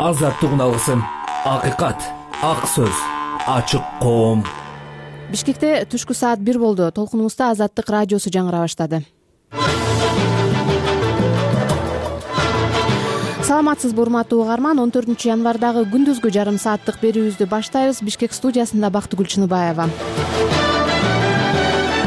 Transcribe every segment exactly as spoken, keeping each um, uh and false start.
Азаттык алгысым, акыйкат, ак сөз, ачык коом. Бишкекте түшкү саат бир болду. Толкунубузда Азаттык радиосу жаңыра баштады. Саламатсызбы, урматтуу угарман. он төртүнчү январдагы күндүзгү жарым сааттык берүүбүздү баштайбыз. Бишкек студиясында Бактыгүл Чыныбаева.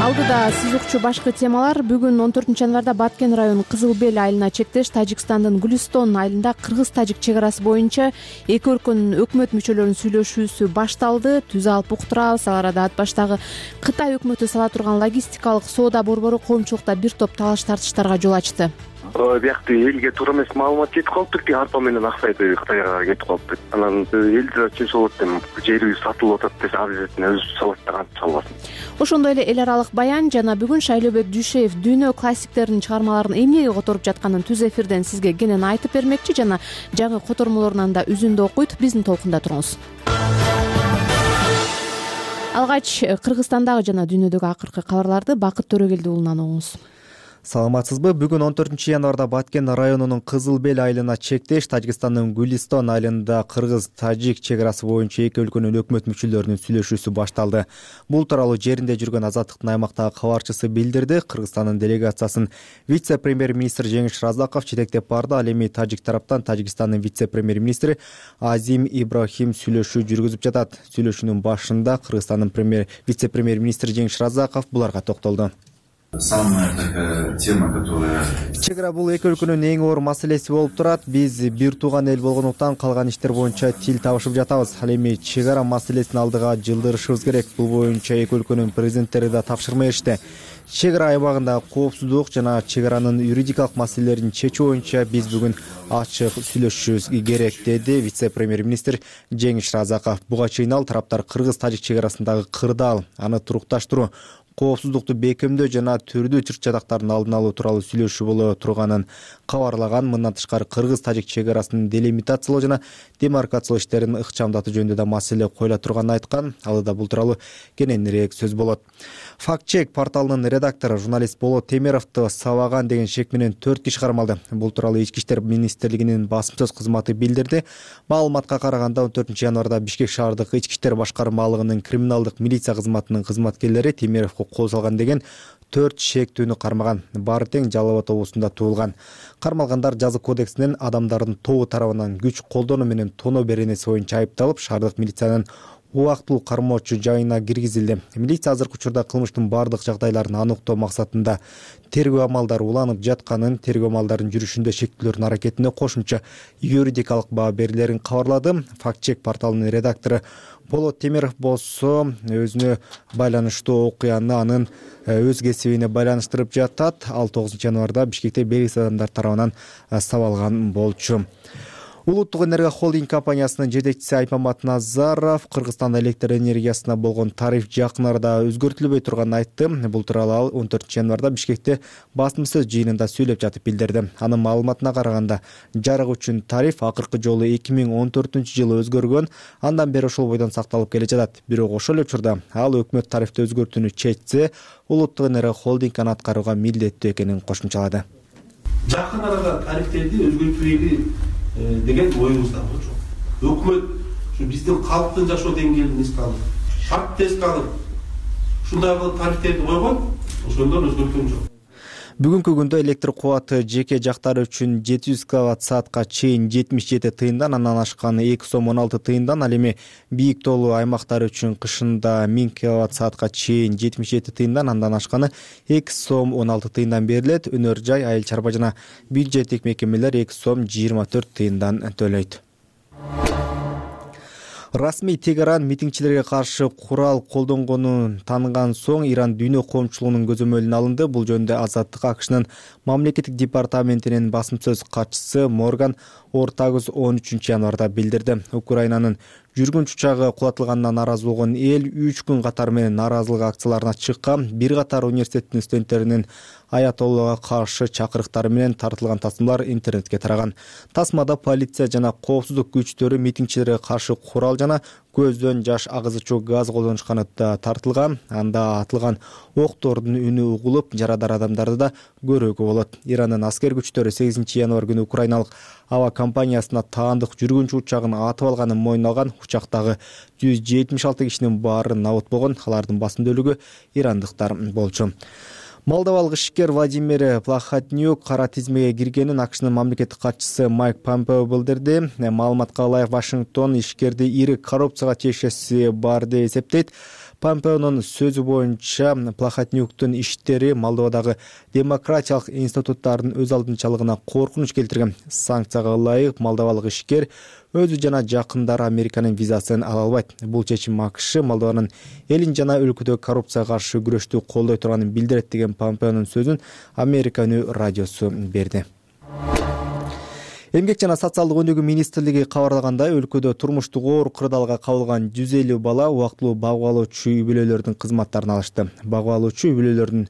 Алдыда сиз укчу башкы темалар. Бүгүн он төртүнчү январда Баткен районунун Кызыл Бел айылына чектеш Тажикстандын Гүлистон айылында кыргыз-тажик чек арасы боюнча эки өлкөнүн өкмөт мүчөлөрүнүн сүйлөшүүсү башталды. Түз алып уктурабыз. Ал арада ат баштагы Кытай өкмөтү сала турган логистикалык соода борбору коомчулукта бир топ талаш тартыштарга жол ачты. Биякты элге туура эмес маалымат жетип калыптыр. Арпа менен аксайды Кытайга кетип калыптыр. Анан эл чынчы болот деп жерибиз сатылып атат десе, обязательно өзү салат да кантип салбасын. Ошондой эле эл аралык баян жана бүгүн Шайлообек Дүйшеев дүйнө классиктеринин чыгармаларын эмнеге которуп жатканын түз эфирден сизге кенен айтып бермекчи жана жаңы котормолорунан да үзүндү окуйт. Биздин толкунда туруңуз. Алгач Кыргызстандагы жана дүйнөдөгү акыркы кабарларды Бакыт Төрөгелди уулунан угуңуз. Саламатсызбы? Бүгүн он төртүнчү январда Баткен районунун Кызыл Бел айылына чектеш Тажикстандын Гүлистон айылында кыргыз-тажик чек арасы боюнча эки өлкөнүн өкмөт мүчөлөрүнүн сүйлөшүүсү башталды. Бул тууралуу жеринде жүргөн Азаттыктын аймактагы кабарчысы билдирди. Кыргызстандын делегациясын вице-премьер-министр Жеңиш Разаков жетектеп барды. Ал эми тажик тараптан Тажикстандын вице-премьер-министри Азим Ибрахим сүйлөшүү жүргүзүп жатат. Сүйлөшүүнүн башында Кыргызстандын премьер вице-премьер-министри Жеңиш Разаков буларга токтолду. Самая такая тема, которая... Чек ара бул эки өлкөнүн эң оор маселеси болуп турат. Биз бир тууган эл болгондуктан калган иштер боюнча тил табышып жатабыз. Ал эми чек ара маселесин алдыга жылдырышыбыз керек. Бул боюнча эки өлкөнүн президенттери да тапшырма беришти. Чек ара аймагындагы коопсуздук жана чек аранын юридикалык маселелерин чечүү боюнча биз бүгүн ачык сүйлөшүшүбүз керек, деди вице-премьер-министр Жеңиш Разаков. Буга чейин ал тараптар кыргыз-тажик чек арасындагы кырдаал, аны турукташтыруу, коопсуздукту бекемдөө жана түрдүү чыр-чатактардын алдын алуу тууралуу сүйлөшүү боло турганын кабарлаган. Мындан тышкары кыргыз-тажик чек арасын делимитациялоо жана демаркациялоо иштерин ыкчамдатуу жөнүндө да маселе коюла турганын айткан. Алда бул тууралуу кененирээк сөз болот. Факт-чек порталынын редактору журналист Болот Темировду сабаган деген шек менен төрт киши кармалды. Бул тууралуу Ички иштер министрлигинин басым сөз кызматы билдирди. Маалыматка караганда он төртүнчү январда Бишкек шаардык Ички иштер башкармалыгынын криминалдык милиция кызматынын кызматкерлери Темировго кол салган деген төрт шектүүнү кармаган. Баары тең Жалал Абад облусунда туулган. Кармалгандар жаза кодексинен адамдардын тобу тарабынан күч колдонуу менен тоноо беренеси боюнча айыпталып, шаардык милициянын убактылуу кармоочу жайына киргизилди. Милиция азыркы учурда кылмыштын бардык жагдайларын аныктоо максатында тергөө амалдары уланып жатканын, тергөө амалдарынын жүрүшүндө шектүүлөрдүн аракетине кошумча юридикалык баа берилерин кабарлады. Факт-чек порталынын редактору Болот Темиров болсо өзүнө байланыштуу окуяны анын өз кесибине байланыштырып жатат. Ал тогузунчу январда Бишкекте белгисиз адамдар тарабынан сабалган болчу. Улуттук энергия холдинг компаниясынын жетекчиси Айпамат Назаров Кыргызстанда электр энергиясына болгон тариф жакын арада өзгөртүлбөй турганын айтты. Бул тууралуу ал он төртүнчү январда Бишкекте басым сөз жыйынында сүйлөп жатып билдирди. Анын маалыматына караганда, жарык үчүн тариф акыркы жолу эки миң он төртүнчү жылы өзгөргөн, андан бери ошол бойдон сакталып келе жатат. Бирок ошол эле учурда ал өкмөт тарифти өзгөртүүнү чечсе, улуттук энергия холдинг аны аткарууга милдеттүү экенин кошумчалады. Жакын арада тарифтерди өзгөртүүгө деген оюңузда жок. Өкмөт ушу биздин калктын жашоо деңгээлин эске алып, шартты эске алып, ушундай кылып тарифтерди койгон, ошондон өзгөрткөн жок. Бүгүнкү күндө электр кубаты жеке жактары үчүн жети жүз киловатт саатка чейин жетимиш жети тыйындан, андан ашканы эки сом он алты тыйындан, ал эми бийик тоолуу аймактар үчүн кышында миң киловатт саатка чейин жетимиш жети тыйындан, андан ашканы эки сом он алты тыйындан берилет. Өнөр жай, айыл чарба жана бюджеттик мекемелер эки сом жыйырма төрт тыйындан төлөйт. Расмий Тегеран митингчилерге каршы курал колдонгонун тааныган соң Иран дүйнө коомчулугунун көзөмөлүнө алынды. Бул жөнүндө Азаттык АКШнын мамлекеттик департаментинин басым сөз катчысы Морган Ортагыз он үчүнчү январда билдирди. Украинанын жүргүнч учагы кулатылганына нааразы болгон эл үч күн катары менен нааразылык акцияларына чыккан. Бир катар университеттин студенттеринин аятоллага каршы чакырыктары менен тартылган тасмалар интернетке тараган. Тасмада полиция жана коопсуздук күчтөрү митингчилерге каршы курал жана көздөн жаш агызуучу газ колдонушканы да тартылган. Анда атылган октордун үнү угулуп, жарадар адамдарды да көрүүгө болот. Ирандын аскер күчтөрү сегизинчи январь күнү украиналык аба компаниясына таандык жүргүнчү учагын атып алганын мойнуна алган. Учактагы жүз жетимиш алты кишинин баары набыт болгон. Алардын басым бөлүгү ирандыктар болчу. Молдовалык ишкер Владимир Плахотнюк кара тизмеге киргенин АКШнын мамлекеттик катчысы Майк Помпео билдирди. Маалыматка ылайык, Вашингтон ишкерди ири коррупцияга тиешеси бар деп эсептейт. Помпеонун сөзү боюнча, Плахотнюктун иштери Молдовадагы демократиялык институттардын өз алдынчалыгына коркунуч келтирген. Санкцияга ылайык молдовалык ишкер өзү жана жакындары Американын визасын ала албайт. Бул чечим АКШ Молдованын элин жана өлкөдөгү коррупцияга каршы күрөштү колдой турганын билдирет деген Помпеонун сөзүн Америка үнү радиосу берди. Эмгек жана социалдык өнүгүү министрлиги кабарлагандай, өлкөдө турмуштук оор кырдаалга кабылган жүз элүү бала убактылуу багып алуучу үй бүлөлөрдүн кызматтарын алышты. Багып алуучу үй бүлөлөрдүн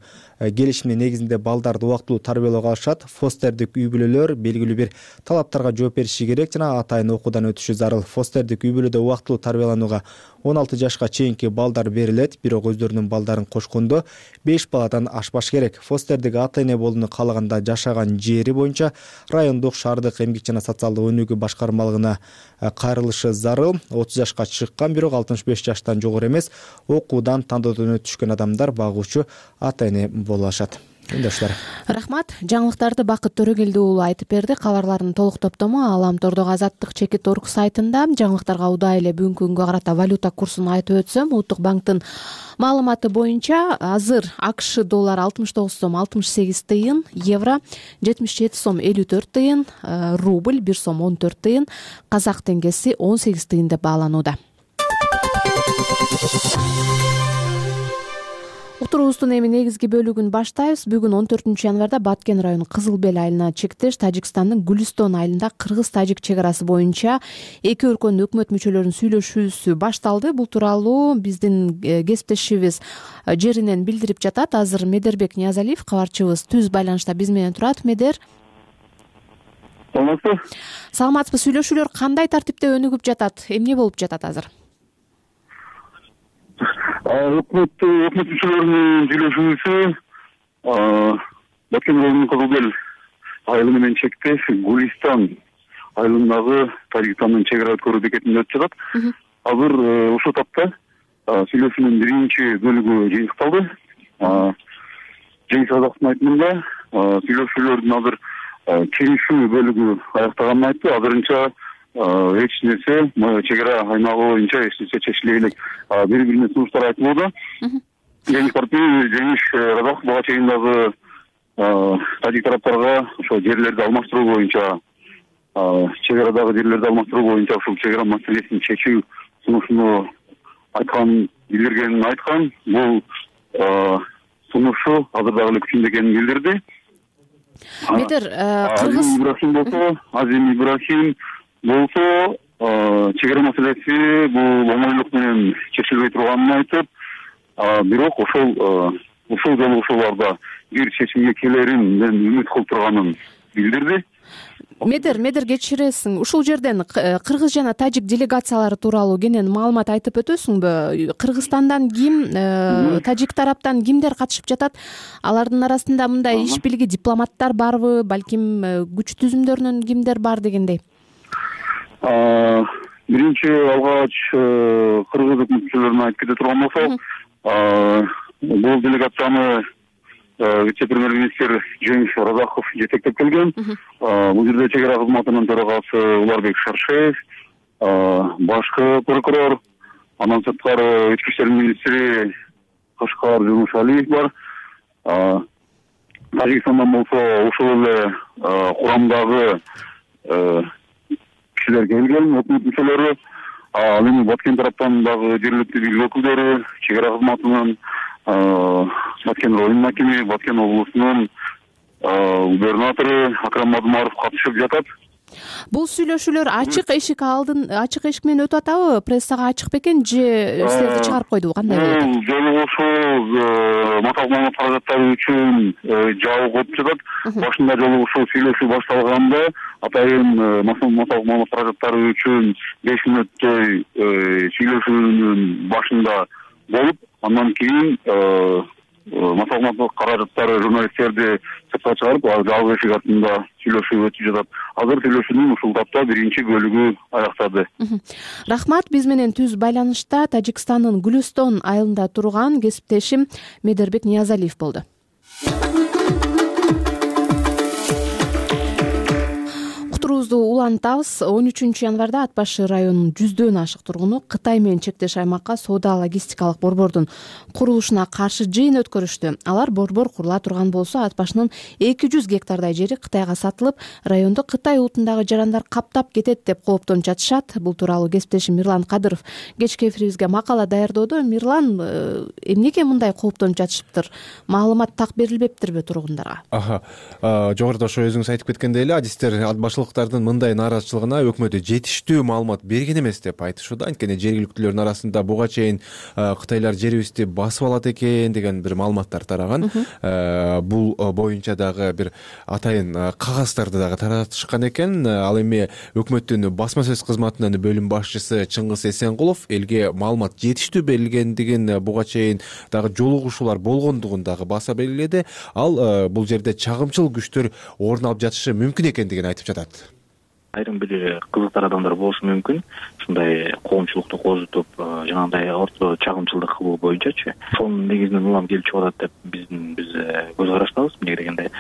келишими негизинде балдарды убактылуу тарбиялоого алышат. Фостердик үй бүлөлөр белгилүү бир талаптарга жооп бериши керек жана атайын окуудан өтүшү зарыл. Фостердик үй бүлөдө убактылуу тарбияланууга он алты жашка чейинки балдар берилет, бирок өздөрүнүн балдарын кочкондо беш баладан ашпаш керек. Фостердик ата эне болууну каалаганда жашаган жери боюнча райондук, шаардык эмгек жана социалдык өнүгүү башкармалыгына кайрылышы зарыл. отуз жашка чыккан, бирок алтымыш беш жаштан жогору эмес, окуудан, тандоодон өтүшкөн адамдар багуучу ата эне боло алышат. Өндөштөр. Рахмат. Жаңылыктарды Бакыт Төрөгелди уулу айтып берди. Кабарлардын толук топтому Аламтордогу Азаттык чекит орг сайтында. Жаңылыктарга удай эле бүгүнкү күнгө карата валюта курсун айтып өтсөм, Улуттук банктын маалыматы боюнча азыр АКШ доллары алтымыш тогуз сом алтымыш сегиз тыйын, евро жетимиш жети сом элүү төрт тыйын, рубль бир сом он төрт тыйын, казак теңгеси он сегиз тыйын деп бааланууда. Уктуруубуздун эми негизги бөлүгүн баштайбыз. Бүгүн он төртүнчү январда Баткен району Кызыл Бел айылына чектеш Тажикстандын Гүлистон айылында кыргыз-тажик чек арасы боюнча эки өлкөнүн өкмөт мүчөлөрүнүн сүйлөшүүсү башталды. Бул тууралуу биздин кесиптешибиз жеринен билдирип жатат. Азыр Медербек Ниязалиев, кабарчыбыз, түз байланышта биз менен турат. Медер, саламатсызбы? Саламатсызбы. Сүйлөшүүлөр кандай тартипте өнүгүп жатат? Эмне болуп жатат азыр? Өкмөт өкмөт мүчөлөрүнүн сүйлөшүүсү Баткен районунун Кызыл Бел айылы менен чектеш Гүлистон айылындагы Тажикстандын чек ара өткөрүү бекетинде өтүп жатат. Азыр ушул тапта сүйлөшүүнүн биринчи бөлүгү жыйынтыкталды. Жеңиш Казактын айтымында сүйлөшүүлөрдүн азыр келишүү бөлүгү аяктаганын айтты. Азырынча эч нерсе чек ара аймагы боюнча эч нерсе чечиле элек. Бири бирине сунуштар айтылууда. Жеңиш партия Жеңиш Казак буга чейин дагы тажик тараптарга ошо жерлерди алмаштыруу боюнча, чек арадагы жерлерди алмаштыруу боюнча ушул чек ара маселесин чечүү сунушуну айткан, билдиргенин айткан. Бул сунушу азыр дагы эле күчүндө экенин билдирди. Медер, кыргыз Ибрахим болсо, Азим Ибрахим болсо, чек ара маселеси бул оңойлук менен чечилбей турганын айтып, бирок ошол ушул жолу ошолордо бир чечимге келерин үмүт кылып турганын билдирди. Медер, Медер кечиресиң. Ушул жерден кыргыз жана тажик делегациялары тууралуу кенен маалымат айтып өтөсүңбү? Кыргызстандан ким, тажик тараптан кимдер катышып жатат? Алардын арасында мындай иш билги дипломаттар барбы, балким күч түзүмдөрүнөн кимдер бар дегендей? Биринчи алгач кыргыз өкмөтчүлөрүнө айтып кете турган болсок, бул делегацияны вице-премьер-министр Жеңиш Разахов жетектеп келген. Бул жерде чек ара кызматынын төрагасы Уларбек Шаршеев, башкы прокурор, андан сырткары ички иштер министри Кашкар Жумушалиев бар. Тажикстандан болсо ушул эле курамдагы кишилер келген, өкмөт мүчөлөрү. Ал эми Баткен тараптан дагы жергиликтүү бийлик өкүлдөрү, чек ара кызматынын Баткен районунун акими, Баткен облусунун губернатору Акрам Мадумаров катышып жатат. Бул сүйлөшүүлөр ачык эшик алдын, ачык эшик менен өтүп атабы? Прессага ачык бекен же силерди чыгарып койдубу? Кандай болуп атат? Бул жолугушуу маталык маалымат каражаттары үчүн жабык өтүп жатат. Башында жолугушуу сүйлөшүү башталганда атайын массалык маалымат каражаттары үчүн беш мүнөттөй сүйлөшүүнүн башында болуп, андан кийин массалык маалымат каражаттары журналисттерди сыртка чыгарып, алар жалгыз эшик артында сүйлөшүү өтүп жатат. Азыр сүйлөшүүнүн ушул тапта биринчи бөлүгү аяктады. Рахмат. Биз менен түз байланышта Тажикстандын Гүлүстон айылында турган кесиптешим Медербек Ниязалиев болду. Уктуруубузду улантабыз. он үчүнчү январда Ат башы районунун жүздөн ашык тургуну Кытай менен чектеш аймакка соода логистикалык борбордун курулушуна каршы жыйын өткөрүштү. Алар борбор курула турган болсо, Ат башынын эки жүз гектардай жери Кытайга сатылып, районду Кытай улутундагы жарандар каптап кетет деп кооптонуп жатышат. Бул тууралуу кесиптешим Мирлан Кадыров кечки эфирибизге макала даярдоодо. Мирлан, эмнеге мындай кооптонуп жатышыптыр? Маалымат так берилбептирби тургундарга? Аха, жогоруда ошо өзүңүз айтып кеткендей эле, адистер ат башылыктардын мындай нааразычылыгына өкмөт жетиштүү маалымат берген эмес деп айтышууда. Анткени жергиликтүүлөрдүн арасында буга чейин Кытайлар жерибизди басып алат экен деген бир маалыматтар тараган. Бул боюнча дагы бир атайын кагаздарды дагы таратышкан экен. Ал эми өкмөттүн басма сөз кызматынын бөлүм башчысы Чыңгыз Эсенкулов элге маалымат жетиштүү берилгендигин, буга чейин дагы жолугушуулар болгондугун дагы баса белгиледи. Ал бул жерде чагымчыл күчтөр орун алып жатышы мүмкүн экендигин айтып жатат. Айрым бир кызыктар адамдар болушу мүмкүн. Ушундай коомчулукту козутуп, жанагындай орто чагымчылдык кылуу боюнчачы. Ошонун негизинен улам келип чыгып атат деп биздин биз көз караштабыз. Эмне дегенде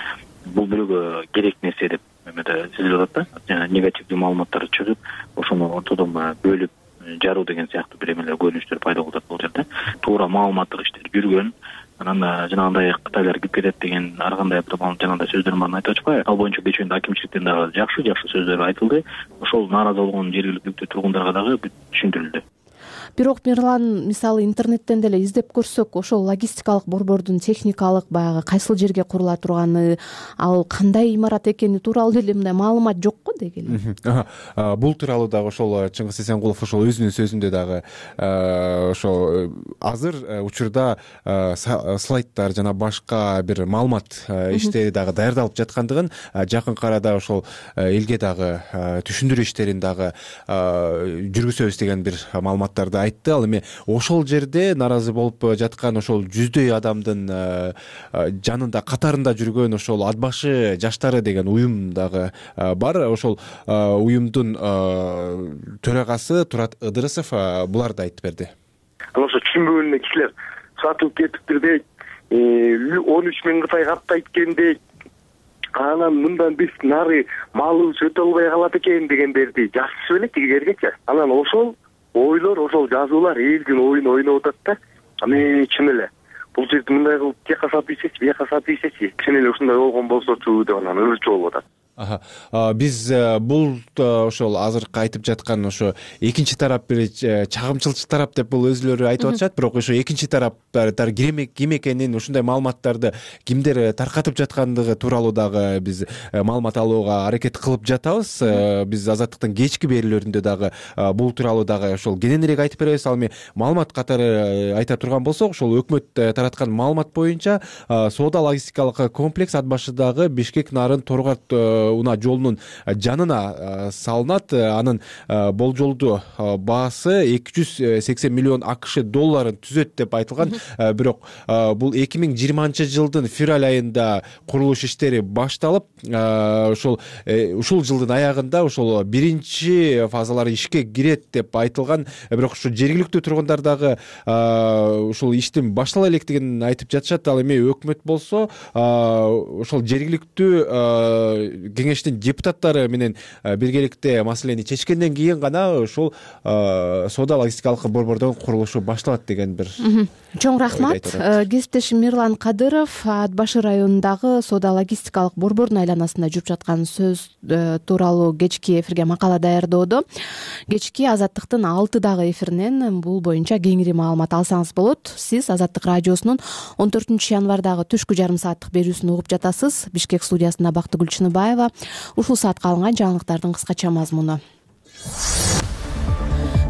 бул бирөөгө керек нерсе деп эмеде сезилип атат да. Жана негативдүү маалыматтар чыгып, ошону ортодон бөлүп жаруу деген сыяктуу бир эмелер көрүнүштөр пайда болуп атат бул жерде. Туура маалыматтык иштер жүргөн. Анан жанагындай Кытайлар кирип кетет деген ар кандай бир жанагындай сөздөрдүн баарын айтып атышпайбы? Ал боюнча кечээндө акимчиликтен дагы жакшы жакшы сөздөр айтылды. Ошол нааразы болгон жергиликтүү тургундарга дагы түшүндүрүлдү. Бирок Мирлан, мисалы интернеттен деле издеп көрсөк, ошол логистикалык борбордун техникалык баягы кайсыл жерге курула турганы, ал кандай имарат экени тууралуу деле мындай маалымат жокко деги эле. Бул тууралуу дагы ошол Чыңгыз Эсенкулов ошол өзүнүн сөзүндө дагы ошо азыр учурда слайдтар жана башка бир маалымат иштери дагы даярдалып жаткандыгын, жакынкы арада ошол элге дагы түшүндүрүү иштерин дагы жүргүзөбүз деген бир маалыматтарды айтты. Ал эми ошол жерде нааразы болуп жаткан ошол жүздөй адамдын жанында, катарында жүргөн ошол Ат башы жаштары деген уюм дагы бар. Ошол уюмдун төрагасы Турат Ыдырысов буларды айтып берди. Анан ошо түшүнбөгөн кишилер сатылып кетиптир дейт. он үч миң Кытай каттайт экен дейт. Анан мындан биз нары малыбыз өтө албай калат экен дегендерди жазышып элек тигилергечи. Анан ошол ойлор, ошол жазуулар элдин оюн ойноп атат да. Аны чын эле бул жерде мындай кылып тияка сатып ийсечи, бияка сатып ийсечи, чын эле ушундай болгон болсочу деп анан өзүчө болуп атат. Аха. Биз бул ошол азыркы айтып жаткан ошо экинчи тарап бир чагымчылчы тарап деп бул өзүлөрү айтып атышат, бирок ошо экинчи тараптар ким экенин, ушундай маалыматтарды кимдер таркатып жаткандыгы тууралуу дагы биз маалымат алууга аракет кылып жатабыз. Биз Азаттыктын кечки берүүлөрүндө дагы бул тууралуу дагы ошол кененирээк айтып беребиз. Ал эми маалымат катары айта турган болсок, ошол өкмөт тараткан маалымат боюнча соода логистикалык комплекс Ат башыдагы Бишкек Нарын Торгат унаа жолунун жанына салынат. Анын болжолдуу баасы эки жүз сексен миллион АКШ долларын түзөт деп айтылган. Бирок бул эки миң жыйырманчы жылдын февраль айында курулуш иштери башталып, ошол ушул жылдын аягында ошол биринчи фазалары ишке кирет деп айтылган. Бирок ушу жергиликтүү тургундар дагы ушул иштин баштала электигин айтып жатышат. Ал эми өкмөт болсо ошол жергиликтүү кеңештин депутаттары менен биргеликте маселени чечкенден кийин гана ушул соода логистикалык борбордун курулушу башталат деген бир. Чоң рахмат. Кесиптешим Мирлан Кадыров Ат башы районундагы соода логистикалык борбордун айланасында жүрүп жаткан сөз тууралуу кечки эфирге макала даярдоодо. Кечки Азаттыктын алтыдагы эфиринен бул боюнча кеңири маалымат алсаңыз болот. Сиз Азаттык радиосунун он төртүнчү январдагы түшкү жарым сааттык берүүсүн угуп жатасыз. Бишкек студиясында Бактыгүл Чыныбаева. Ушул саатка алынган жаңылыктардын кыскача мазмуну.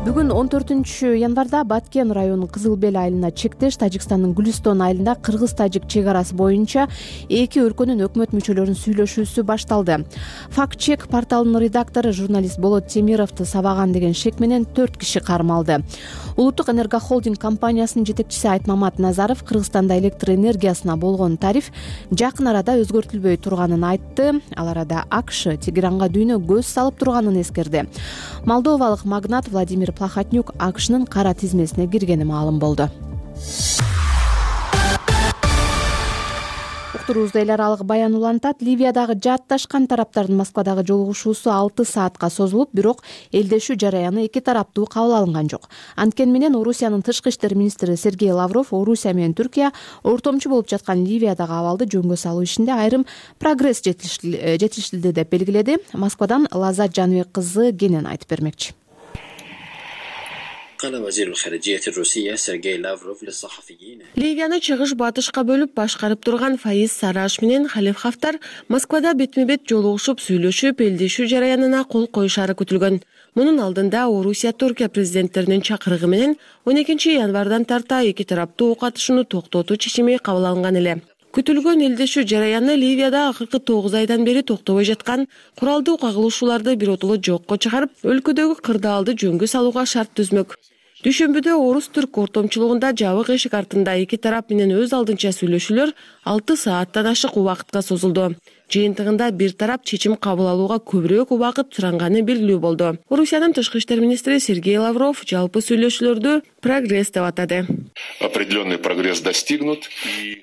Бүгүн он төртүнчү январда Баткен районунун Кызыл Бел айылына чектеш Тажикстандын Гүлистон айылында кыргыз-тажик чек арасы боюнча эки өлкөнүн өкмөт мүчөлөрүнүн сүйлөшүүсү башталды. Факт чек порталынын редактору журналист Болот Темировду сабаган деген шек менен төрт киши кармалды. Улуттук энергохолдинг компаниясынын жетекчиси Айтмамат Назаров Кыргызстанда электр энергиясына болгон тариф жакын арада өзгөртүлбөй турганын айтты. Ал арада АКШ Тегеранга дүйнө көз салып турганын эскерди. Молдовалык магнат Владимир Плахотнюк АКШнын кара тизмесине киргени маалым болду. Уктуруубузда эл аралык баян улантат. Ливиядагы жаатташкан тараптардын Москвадагы жолугушуусу алты саатка созулуп, бирок элдешүү жараяны эки тараптуу кабыл алынган жок. Анткени менен Орусиянын тышкы иштер министри Сергей Лавров Орусия менен Түркия ортомчу болуп жаткан Ливиядагы абалды жөнгө салуу ишинде айрым прогресс жетишилди деп белгиледи. Москвадан Лазат Жаныбек кызы кенен айтып бермекчи. Ливияны чыгыш-батышка бөлүп башкарып турган Фаиз Сараш менен Халиф Хафтар Москвада бетме-бет жолугушуп сүйлөшүп, элдешүү жараянына кол коюшары күтүлгөн. Мунун алдында Орусия Түркия президенттеринин чакырыгы менен он экинчи январдан тарта эки тараптуу ок атышууну токтотуу чечими кабыл алынган эле. Күтүлгөн элдешүү жараяны Ливияда акыркы тогуз айдан бери токтобой жаткан куралдуу кагылышууларды биротоло жокко чыгарып, өлкөдөгү кырдаалды жөнгө салууга шарт түзмөк. Дүйшөмбүдө Орус-Түрк ортомчулугунда жабык эшик артында эки тарап менен өз алдынча сүйлөшүүлөр алты сааттан ашык убакытка созулду. Жыйынтыгында бир тарап чечим кабыл алууга көбүрөөк убакыт суранганы белгилүү болду. Орусиянын тышкы иштер министри Сергей Лавров жалпы сүйлөшүүлөрдү прогресс деп атады. Определенный прогресс достигнут.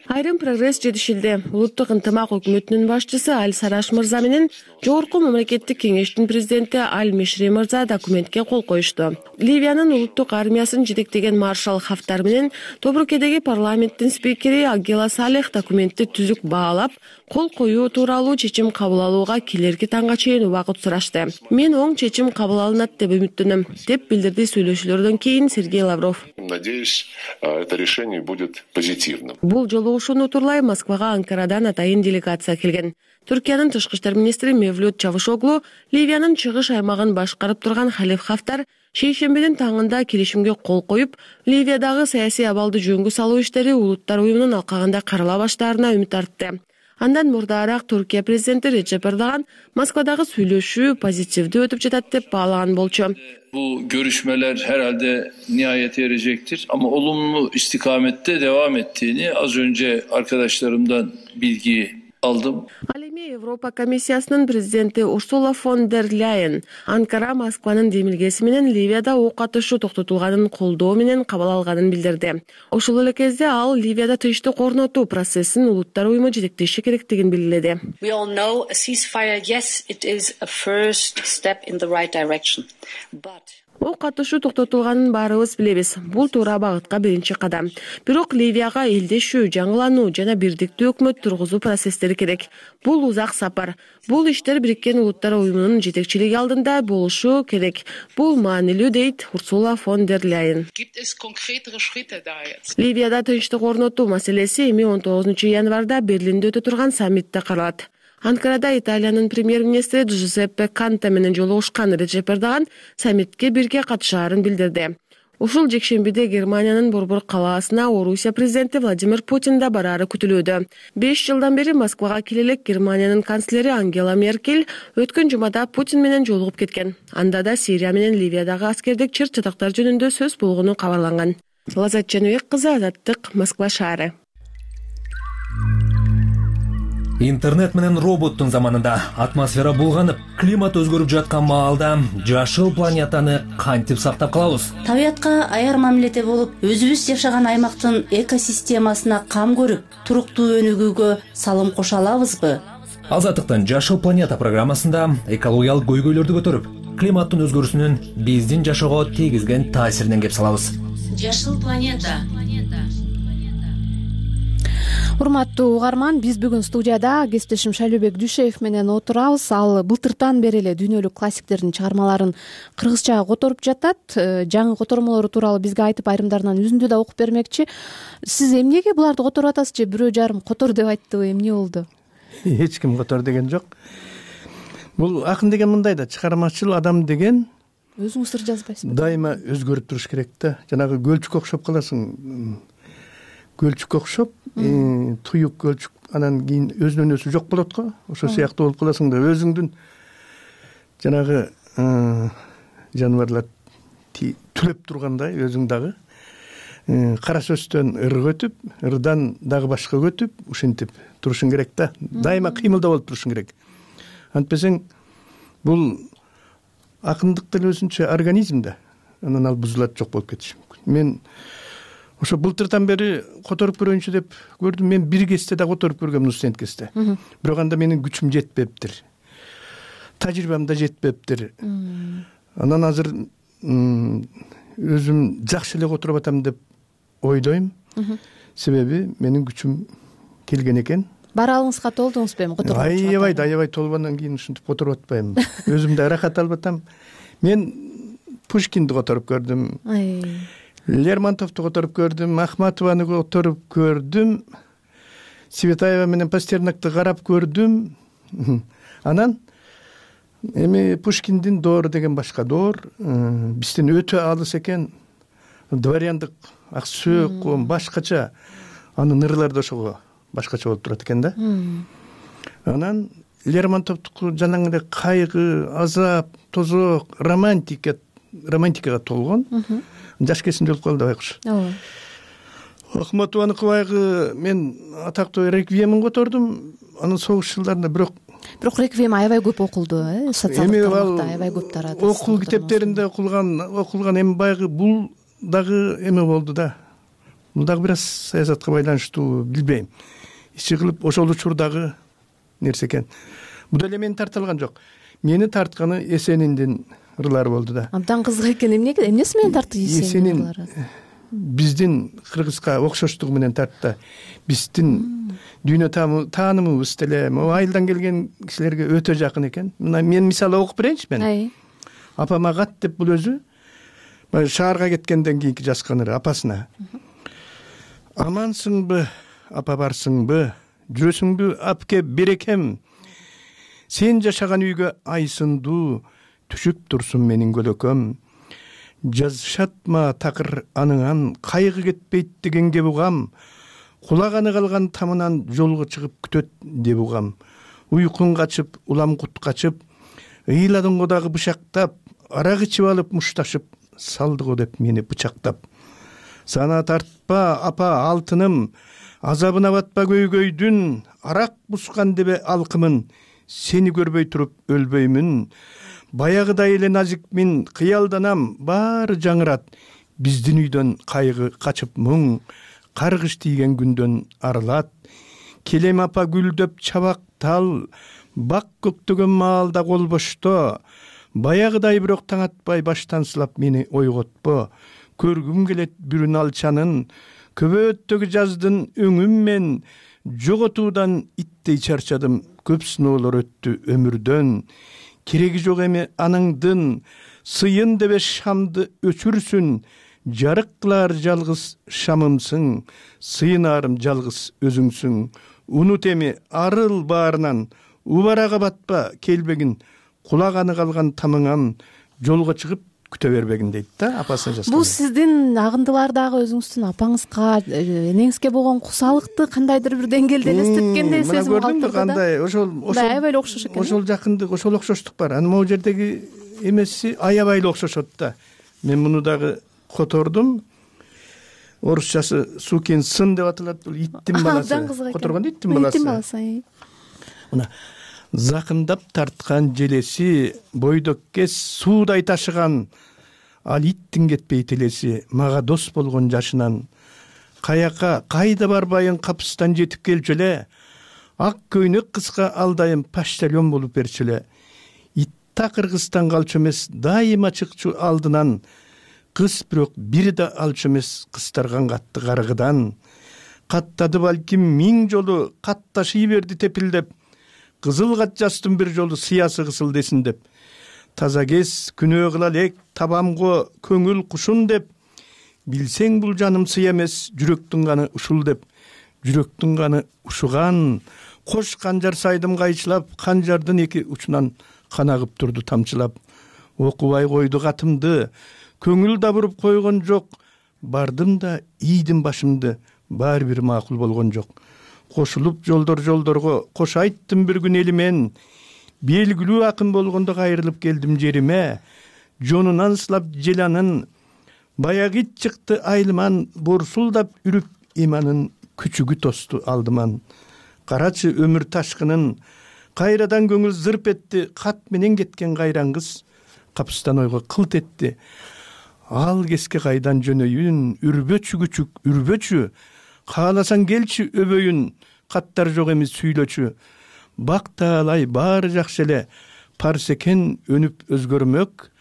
Айрым прогресс жетишилди. Улуттук ынтымак өкмөтүнүн башчысы Аль Сараш мырза менен жогорку мамлекеттик кеңештин президенти Аль Мешри мырза документке кол коюшту. Ливиянын улуттук армиясын жетектеген маршал Хафтар менен Тобрукедеги парламенттин спикери Агела Салех документти түзүк баалап, кол коюу тууралуу чечим кабыл алууга келерки таңга чейин убакыт сурашты. Мен оң чечим кабыл алынат деп үмүттөнөм, деп билдирди сүйлөшүүлөрдөн кийин Сергей Лавров. Надеюсь, это решение будет позитивным. Бул жолугушууну турлай Москвага Анкарадан атайын делегация келген. Түркиянын тышкы иштер министри Мевлют Чавушоглу Ливиянын чыгыш аймагын башкарып турган Халиф Хафтар шейшембидин таңында келишимге кол коюп, Ливиядагы саясий абалды жөнгө салуу иштери улуттар уюмунун алкагында карала баштаарына үмүт артты. Андан мурдараак Түркия президенти Речеп Эрдоган Москвадагы сүйлөшүү позитивдүү өтүп жатат деп баалаган болчу. Bu görüşmeler herhalde nihayete erecektir ama olumlu istikamette devam ettiğini az önce arkadaşlarımdan bilgi aldım. Ал эми Европа комиссиясынын президенти Урсула фон дер Ляйен Анкара Москванын демилгеси менен Ливияда ок атышуу токтотулганын колдоо менен кабыл алганын билдирди. Ошол эле кезде ал Ливияда тынчтык орнотуу процессин улуттар уюму жетектеши керектигин белгиледи. We all know a ceasefire, yes, it is a first step in the right direction. But Ок атышуу токтотулганын баарыбыз билебиз. Бул туура багытка биринчи кадам. Бирок Ливияга элдешүү, жаңылануу жана бирдиктүү өкмөт тургузуу процесстери керек. Бул узак сапар. Бул иштер Бириккен Улуттар уюмунун жетекчилиги алдында болушу керек. Бул маанилүү, дейт Урсула фон дер Ляйен. Ливияда тынчтык орнотуу маселеси эми он тогузунчу январда Берлинде өтө турган саммитте каралат. Анкарада Италиянын премьер-министри Джузеппе Канте менен жолугушкан Речеп Эрдоган саммитке бирге катышаарын билдирди. Ушул жекшембиде Германиянын Борбор калаасына Орусия президенти Владимир Путин да бараары күтүлүүдө. беш жылдан бери Москвага келе элек Германиянын канцлери Ангела Меркель өткөн жумада Путин менен жолугуп кеткен. Анда да Сирия менен Ливиядагы аскердик чыр-чатактар жөнүндө сөз болгону кабарланган. Лазат Жаныбек кызы, Азаттык, Москва шаары. Интернет менен роботтун заманында атмосфера булганып, климат өзгөрүп жаткан маалда жашыл планетаны кантип сактап калабыз? Табиятка аяр мамиледе болуп, өзүбүз жашаган аймактын экосистемасына кам көрүп, туруктуу өнүгүүгө салым кошо алабызбы? Азаттыктын Жашыл планета программасында экологиялык көйгөйлөрдү көтөрүп, климаттын өзгөрүүсүнүн биздин жашоого тийгизген таасиринен кеп салабыз. Жашыл планета. Урматтуу угарман, биз бүгүн студияда кесиптешим Шайлообек Дүйшеев менен отурабыз. Ал былтыртан бери эле дүйнөлүк классиктердин чыгармаларын кыргызчага которуп жатат. Жаңы котормолору тууралуу бизге айтып, айрымдарынан үзүндү да окуп бермекчи. Сиз эмнеге буларды которуп атасыз же бирөө жарым котор деп айттыбы, эмне болду? Эч ким котор деген жок. Бул акын деген мындай да, чыгармачыл адам деген өзүң сыр жазбайсыңбы? Дайыма өзгөрүп туруш керек да. Жанагы гөлчүккө окшоп каласың. Гөлчүккө окшоп, туюк гөлчүк, анан кийин өзүнөн өзү жок болот го. Ошо сыяктуу болуп каласың да, өзүңдүн жанагы жаныбарлар түлөп тургандай өзүң дагы кара сөздөн ырга өтүп, ырдан дагы башкага өтүп, ушинтип турушуң керек да. Дайыма кыймылда болуп турушуң керек. Антпесең бул акындык деле өзүнчө организм да. Анан ал бузулат, жок болуп кетиши мүмкүн. Мен ошо былтырдан бери которуп көрөйүнчү деп көрдүм. Мен бир кезде да которуп көргөмүн, студент кезде. Бирок анда менин күчүм жетпептир. Тажрыйбам да жетпептир. Анан азыр өзүм жакшы эле которуп атам деп ойлойм. Себеби менин күчүм келген экен. Баралыңызга толдуңузбу эми которуп? Аябай, аябай толгондон кийин ушинтип которуп атпайм. Өзүм да ырахат алып атам. Мен Пушкинди которуп көрдүм. Лермонтовду которуп көрдүм, Ахматованы которуп көрдүм. Светаева менен Пастернакты карап көрдүм. Анан эми Пушкиндин доору деген башка доор, бизден өтө алыс экен. Дворяндык ак сөөк, башкача. Анын ырлары да ошого башкача болуп турат экен да. Анан Лермонтовдуку жанагы эле кайгы, азап, тозок, романтика, романтикага толгон. Жаш кезинде болуп калды байкуш. Ооба. Ахматованыкы байгы мен атактуу реквиемин котордум. Анын согуш жылдарында бирок Бирок реквием аябай көп окулду, э, социалдык тармакта аябай көп тарады. Окуу китептеринде окулган, окулган эми байгы бул дагы эме болду да. Бул дагы бир аз саясатка байланыштуу, билбейм. Ичи кылып ошол учурдагы нерсе экен. Бул деле мени тарта алган жок. Мени тартканы Эсениндин ырлары болду да. Абдан кызык экен. Эмнеге, эмнеси менен тартты Эсенин ырлары? Биздин кыргызга окшоштугу менен тартты. Биздин дүйнө таанымыбыз деле айылдан келген кишилерге өтө жакын экен. Мына мен мисалы окуп берейинчи мен. Апама кат деп бул өзү шаарга кеткенден кийинки жазган ыры апасына. Амансыңбы, апа барсыңбы, жүрөсүңбү апке берекем. Сен жашаган үйгө ай сындуу түшүп турсун менин көлөкөм. Жазышатма такыр аныңан, кайгы кетпейт дегенге бугам. Кулаганы калган тамынан жолго чыгып күтөт деп угам. Уйкун качып, улам кут качып, ыйладыңго дагы бычактап, арак ичип алып мушташып, салдыго деп мени бычактап. Сана тартпа, апа алтыным, азабына батпа көйгөйдүн, арак бускан дебе алкымын, сени көрбөй туруп өлбөймүн. Баягыдай эле назикмин, кыялданам, баары жаңырат, биздин үйдөн кайгы качып мұң, каргыш тийген күндөн арылат. Келем апа гүлдөп чабак тал, бак көктөгөн маалда кол бошто, баягыдай бирок таң атпай баштан сылап мени ойготпо. Көргүм келет бүрүн алчанын, көбөттөгү жаздын өңүм мен, жоготуудан иттей чарчадым, көп сыноолор өттү өмүрдөн. Кереги жок эми аныңдын, сыйын дебе шамды өчүрсүн, жарык кылар жалгыз шамымсың, сыйынарым жалгыз өзүңсүң. Унут эми арыл баарынан, убарага батпа келбегин, кулаганы калган тамыңан, жолго чыгып күтө бербегин дейт да, апасына жазган. Бул сиздин агындылардагы өзүңүздүн апаңызга, энеңизге болгон кусалыкты кандайдыр бир деңгээлде элестеткендей сезим калдырды да. Кандай ошол ошол аябай эле окшош экен. Ошол жакындык, ошол окшоштук бар. Анан могу жердеги эмеси аябай эле окшошот да. Мен муну дагы котордум. Орусчасы сукин сын деп аталат, бул иттин баласы. Которгондо иттин баласы. Иттин баласы. Мына закындап тарткан желеси, бойдок кес суудай ташыган, ал иттин кетпей телеси, мага дос болгон жашынан. Каяка, кайда барбайын капыстан жетип келчү эле, ак көйнөк кыска алдайым почтальон болуп берчү эле. Итта Кыргызстан калчу эмес, дайыма чыкчу алдынан, кыз бирок бири да алчу эмес кыстарган катты каргыдан. Каттады балким миң жолу, катташый берди тепилдеп, кызыл кат жастым бир жолу сыясы кысыл десин деп. Таза кес күнөө кыла элек табамго көңүл кушун деп. Билсең бул жаным сый эмес, жүрөктүн каны ушул деп. Жүрөктүн каны ушуган, кош канжар сайдым кайчылап, канжардын эки учунан кан агып турду тамчылап. окубай койду катымды, көңүл да буруп койгон жок, бардым да ийдим башымды, баары бир макул болгон жок. Кошулуп жолдор жолдорго, кош айттым бир күн элимен, белгилүү акын болгондо кайрылып келдим жериме, жонунан сылап желанын, баягы ит чыкты айлыман, борсулдап үрүп иманын, күчүгү тосту алдыман. Карачы өмүр ташкынын, кайрадан көңүл зырп этти, кат менен кеткен кайран кыз, капыстан ойго кылт этти. Ал кеске кайдан жөнөйүн, үрбөчү күчүк, үрбөчү, кааласаң келчи өбөйүн, каттар жок эмес сүйлөчү. Бактаалай баары жакшы эле, парс экен өнүп өзгөрмөк,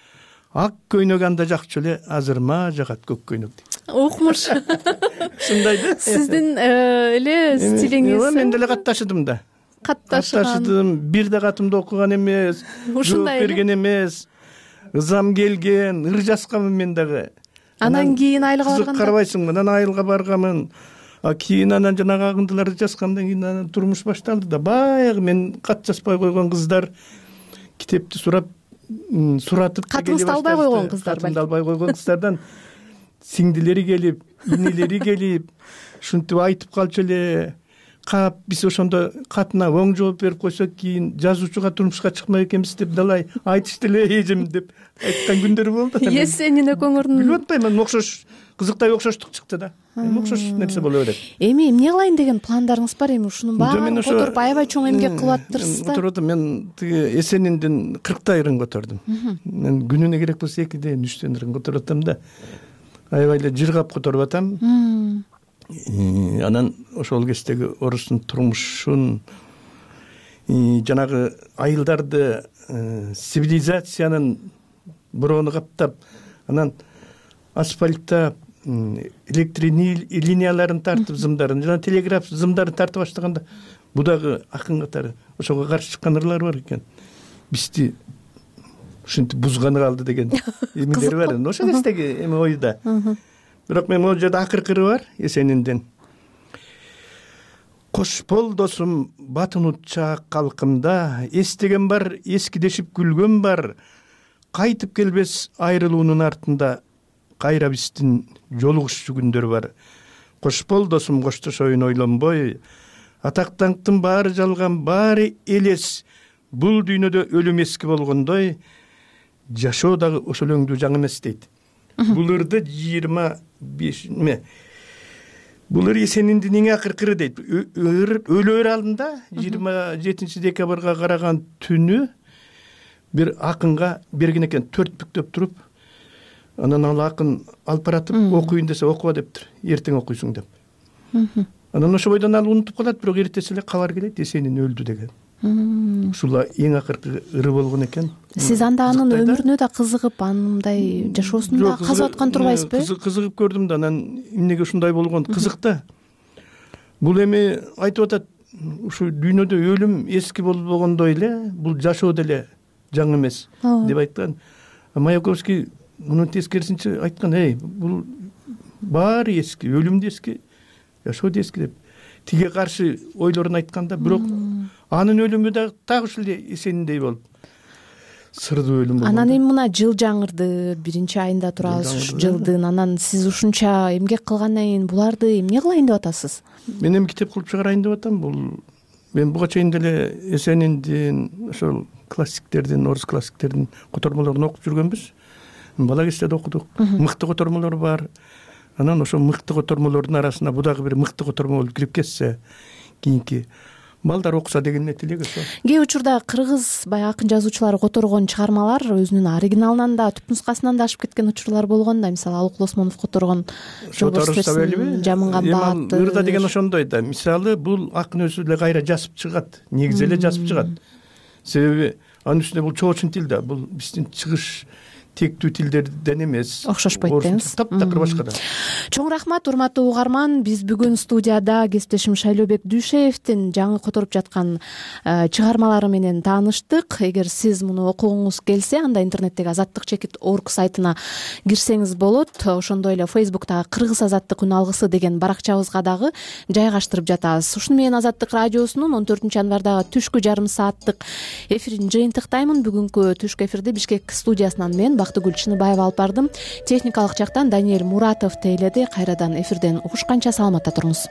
ак көйнөк анда жакчу эле, азырма жагат көк көйнөк. Укмуш. Ушундайда. Сиздин эле стилиңиз. Мен деле катташдым да. Катташдым. Бир да катымды окуган эмес, жооп берген эмес. Ызам келген, ыр жазгамын мен дагы. Анан кийин айылга барганда. Кызык карабайсыңбы? Анан айылга барганмын. А кийин анан жанагы агындыларды жазгандан кийин анан турмуш башталды да. Баягы мен кат жазбай койгон кыздар китепти сурап, суратып катыңызды албай койгон кыздар. Катымды албай койгон кыздардан сиңдилери келип, инелери келип, ушинтип айтып калчу эле. Кап биз ошондо катына оң жооп берип койсок, кийин жазуучуга турмушка чыкмай экенбиз деп далай айтышты эле эжем деп айткан күндөрү болду. Эсенин экөөңөрдүн билип атпаймын, окшош кызыктай окшоштук чыкты да. Эми окшош нерсе боло берет. Эми эмне кылайын деген пландарыңыз бар? Эми ушунун баарын которуп аябай чоң эмгек кылып атыптырсыздар. Которуп мен тиги Эсениндин кырктай ырын котордум. Мен күнүнө керек болсо экиден үчтөн ырын которуп атам да. Аябай эле жыргап которуп атам. Анан ошол кездеги орустун турмушун, жанагы айылдарды, цивилизациянын бироону каптап, анан асфальттап, электр линияларын тартып, зымдарын, жана телеграф зымдарын тартып баштаганда, бу дагы акын катары ошого каршы чыккан ырлар бар экен. Бизди ушинтип бузганы калды деген эмелери бар. Ошол кездеги эми ойда. Бирок мен могу жерде акыркы ыры бар Эсенинден. Кош бол досум, батын утчаак калкымда, эстеген бар, эскидешип күлгөн бар, кайтып келбес айрылуунун артында, кайра биздин жолугушчу күндөр бар. Кош бол досум, коштошоюн ойлонбой, атак даңктын баары жалган, баары элес, бул дүйнөдө өлүм эски болгондой, жашоо дагы ошол өңдүү жаңы эмес дейт. Бул ырды жыйырма беш бул ыр Эсениндин эң акыркыры дейт. Өлөр алдында жыйырма жетинчи декабрга караган түнү бир акынга берген экен, төрт бүктөп туруп, анан ал акын алып баратып окуйын десе окуба дептир, эртең окуйсуң деп. Анан ошо бойдон ал унутуп калат, бирок эртеси эле кабар келет, Эсенин өлдү деген. Ушул эң акыркы ыры болгон экен. Сиз анда анын өмүрүнө да кызыгып, анындай жашоосун да казып аткан турбайсызбы? Кызыгып көрдүм да, анан эмнеге ушундай болгон кызык да. Бул эми айтып атат, ушу дүйнөдө өлүм эски болбогондой эле, бул жашоо деле жаңы эмес деп айткан. Маяковский мунун тескерисинче айткан, эй, бул баары эски, өлүм да эски, жашоо да эски деп. Тиге каршы ойлорун айтканда, бирок анын өлүмү да так ушул Эсениндей болуп сырдуу өлүм болгон. Анан эми мына жыл жаңырды, биринчи айында турабыз ушу жылдын. Анан сиз ушунча эмгек кылгандан кийин буларды эмне кылайын деп атасыз? Мен эми китеп кылып чыгарайын деп атам. Бул мен буга чейин деле Эсениндин ошол классиктердин, орус классиктердин котормолорун окуп жүргөнбүз. Бала кезде окудук. Мыкты котормолор бар. Анан ошо мыкты котормолордун арасына бу дагы бир мыкты котормол болуп кирип кетсе, кийинки балдар окуса деген эле тилек ошо. Кээ учурда кыргыз баягы акын жазуучулары которгон чыгармалар өзүнүн оригиналынан да, түпнускасынан да ашып кеткен учурлар болгон да. Мисалы, Алык Лосмонов которгон Жамынган баатыр. Ырда деген ошондой да. Мисалы, бул акын өзү эле кайра жазып чыгат, негизи эле жазып чыгат. Себеби анын үстүнө бул чоочун тил да, бул биздин чыгыш тектүү тилдерден эмес, окшошпойт деңиз. Таптакыр башка да. Чоң рахмат урматтуу угарман. Биз бүгүн студияда кесиптешим Шайлообек Дүйшеевдин жаңы которуп жаткан чыгармалары менен тааныштык. Эгер сиз муну окугуңуз келсе, анда интернеттеги азаттык чекит орг сайтына кирсеңиз болот. Ошондой эле Фейсбуктагы Кыргыз азаттык үн алгысы деген баракчабызга дагы жайгаштырып жатабыз. Ушуну менен Азаттык радиосунун он төртүнчү январдагы түшкү жарым сааттык эфирин жыйынтыктаймын. Бүгүнкү түшкү эфирди Бишкек студиясынан мен Бактыгүл Чыныбаева алып бардым. Техникалык жактан Даниэль Муратов тейледи. Кайрадан эфирден угушканча саламатта туруңуз.